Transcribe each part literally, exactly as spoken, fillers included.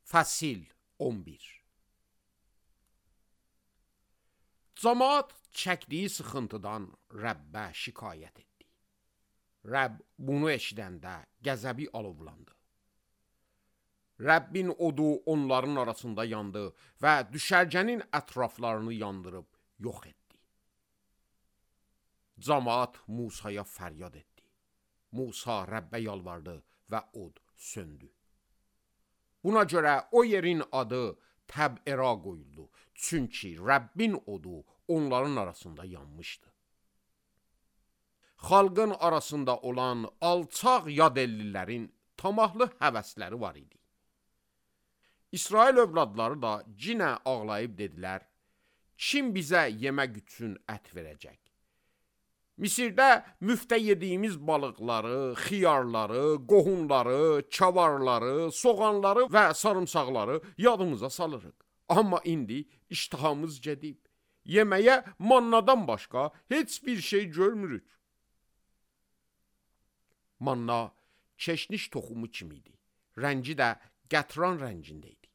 Fəsil on bir. Camaat çəkdiyi sıxıntıdan Rəbbə şikayət etdi. Rəbb bunu eşidəndə qəzəbi alovlandı. Rəbbin odu onların arasında yandı və düşərgənin ətraflarını yandırıb yox etdi. Camaat Musaya fəryad etdi. Musa Rəbbə yalvardı və od söndü. Buna görə o yerin adı Təb'era qoyuldu. Çünki Rəbbin odu onların arasında yanmışdı. Xalqın arasında olan alçaq yadəllilərin tamahlı həvəsləri var idi. İsrail övladları da cinə ağlayıb dedilər, kim bizə yemək üçün ət verəcək? Misirdə müftə yediyimiz balıqları, xiyarları, qohunları, çavarları, soğanları və sarımsaqları yadımıza salırıq. Amma indi iştahamız gedib. Yeməyə mannadan başqa heç bir şey görmürük. Manna keşniş toxumu kimiydi. Rəngi də qətran rəngində idi.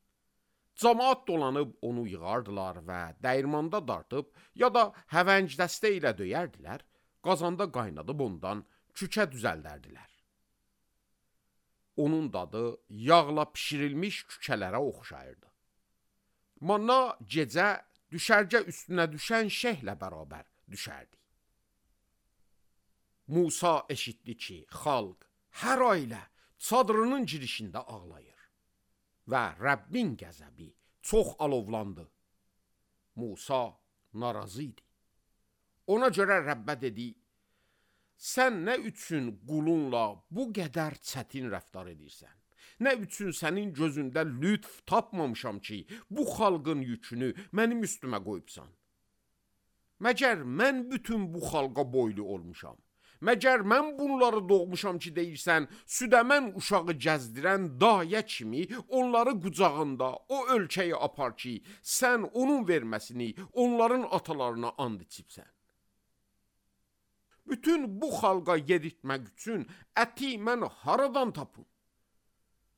Camaat dolanıb onu yığardılar və dəyirmanda dartıb ya da həvəng dəstə ilə döyərdilər, qazanda qaynadıb ondan kükə düzəldərdilər. Onun dadı yağla pişirilmiş kükələrə oxşayırdı. Manna gecə düşərgə üstünə düşən şehlə bərabər düşərdi. Musa eşitdi ki, xalq hər ailə çadırının girişində ağlayır və Rəbbin qəzəbi çox alovlandı. Musa narazı idi. Ona görə Rəbbə dedi, sən nə üçün qulunla bu qədər çətin rəftar edirsən? Nə üçün sənin gözündə lütf tapmamışam ki, bu xalqın yükünü mənim üstümə qoyubsan? Məgər mən bütün bu xalqa boylu olmuşam? Məgər mən bunları doğmuşam ki, deyirsən, südəmən uşağı gəzdirən dayə kimi onları qucağında o ölkəyə apar ki, sən onun verməsini onların atalarına and içibsən. Bütün bu xalqa yedirtmək üçün əti mən haradan tapım?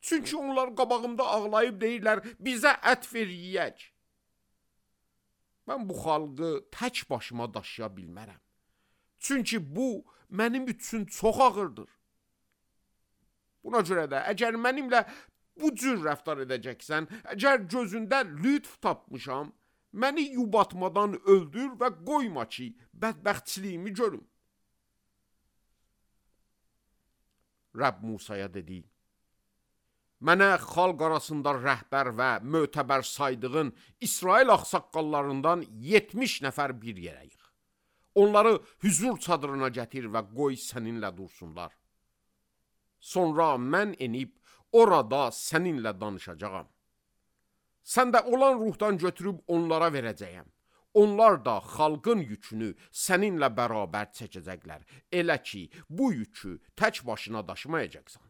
Çünki onlar qabağımda ağlayıb deyirlər, bizə ət ver yiyək. Mən bu xalqı tək başıma daşıya bilmərəm. Çünki bu mənim üçün çox ağırdır. Buna görə də əgər mənimlə bu cür rəftar edəcəksən, əgər gözündə lütf tapmışam, məni yubatmadan öldür və qoyma ki, bədbəxtçiliyimi görüm. Rəbb Musaya dedi, mənə xalq arasında rəhbər və mötəbər saydığın İsrail ağsaqqallarından yetmiş nəfər bir yerə yığ. Onları hüzur çadırına gətir və qoy səninlə dursunlar. Sonra mən enib orada səninlə danışacağam. Sən də olan ruhdan götürüb onlara verəcəyəm. Onlar da xalqın yükünü səninlə bərabər çəkəcəklər. Elə ki, bu yükü tək başına daşımayacaqsan.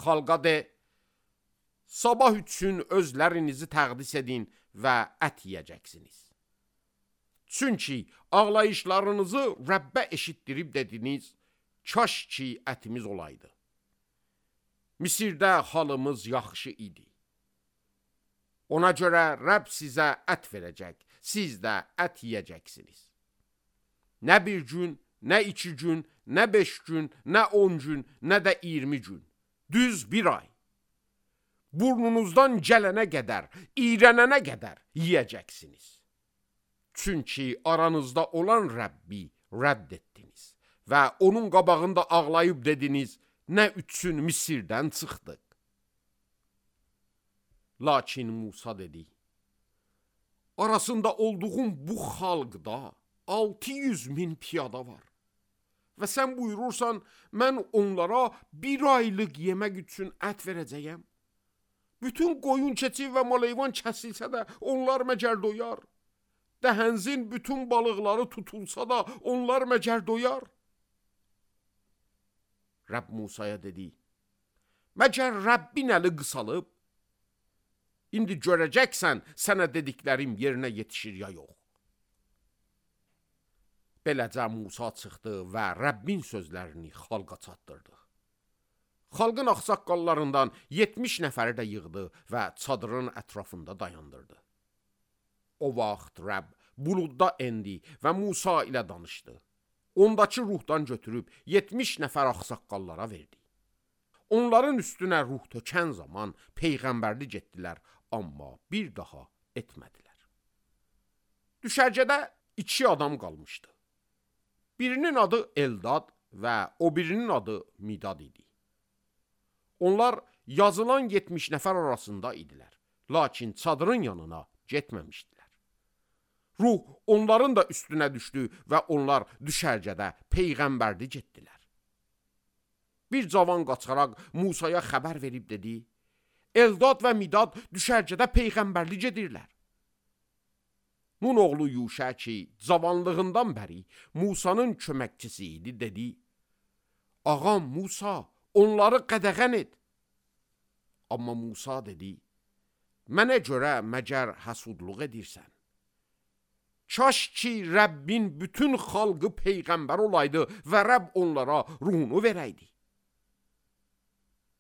Xalqa de, sabah üçün özlərinizi təqdis edin və ət yiyəcəksiniz. Çünki ağlayışlarınızı Rəbbə eşitdirib dediniz, kaş ki ətimiz olaydı. Misirdə halımız yaxşı idi. Ona görə Rəbb sizə ət verəcək, siz də ət yiyəcəksiniz. Nə bir gün, nə iki gün, nə beş gün, nə on gün, nə də iyirmi gün. Düz bir ay. Burnunuzdan gələnə qədər, iyrənənə qədər yiyəcəksiniz. Çünki aranızda olan Rəbbi rədd etdiniz və onun qabağında ağlayıb dediniz, nə üçün Misirdən çıxdıq. Lakin Musa dedi, arasında olduğum bu xalqda altı yüz min piyada var. Və sən buyurursan, mən onlara bir aylıq yemək üçün ət verəcəyəm. Bütün qoyun, keçi və maleyvan kəsilsə də onlar məgər doyar. Dəhənzin bütün balıqları tutulsa da onlar məgər doyar. Rəbb Musaya dedi, məgər Rəbbin əli qısalıb? İndi görəcəksən, sənə dediklərim yerinə yetişir ya yox. Beləcə Musa çıxdı və Rəbbin sözlərini xalqa çatdırdı. xalqın ağsaqqallarından yetmiş nəfəri də yığdı və çadırın ətrafında dayandırdı. O vaxt Rəbb buludda endi və Musa ilə danışdı. Ondakı ruhdan götürüb yetmiş nəfər ağsaqqallara verdi. Onların üstünə ruh tökən zaman peyğəmbərlik etdilər, amma bir daha etmədilər. Düşərgədə iki adam qalmışdı. Birinin adı Eldad və o birinin adı Midad idi. Onlar yazılan yetmiş nəfər arasında idilər, lakin çadırın yanına getməmişdilər. Ruh onların da üstünə düşdü və onlar düşərgədə peyğəmbərlik etdilər. Bir cavan qaçaraq Musaya xəbər verib dedi, Eldad və Midad düşərgədə peyğəmbərlik edirlər. Nun oğlu Yuşa ki, cavanlığından bəri Musanın köməkçisi idi, dedi, Ağam Musa, onları qədəğən et. Amma Musa dedi, mənə görə məgər həsudluq edirsən. Kaş ki, Rəbbin bütün xalqı peyğəmbər olaydı və Rəbb onlara ruhunu verəydi.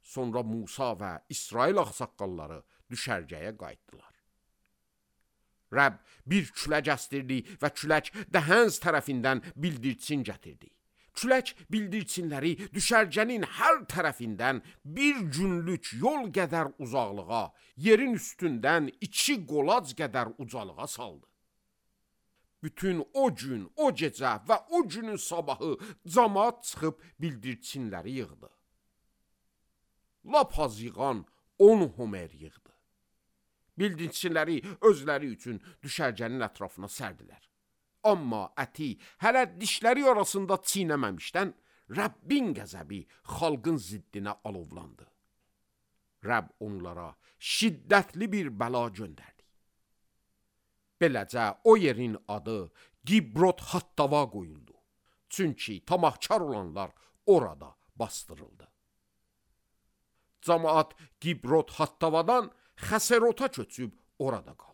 Sonra Musa və İsrail ağsaqqalları düşərgəyə qayıtdılar. Rəbb bir külək əstirdi və külək Dəhənz tərəfindən bildirçin gətirdi. Külək bildirçinləri düşərgənin hər tərəfindən bir günlük yol qədər uzaqlığa, yerin üstündən iki qolac qədər ucalığa saldı. Bütün o gün, o gecə və o günün sabahı camaat çıxıb bildirçinləri yığdı. Lap az yığan on homer yığdı. Bildirçinləri özləri üçün düşərgənin ətrafına sərdilər. Amma əti hələ dişləri arasında çiynəməmişdən Rəbbin qəzəbi xalqın ziddinə alovlandı. Rəbb onlara şiddətli bir bəla göndərdi. Beləcə o yerin adı Gibrot Hattava qoyuldu. Çünki tamahkar olanlar orada bastırıldı. Camaat Gibrot Hattavadan Xəserota köçüb orada qaldı.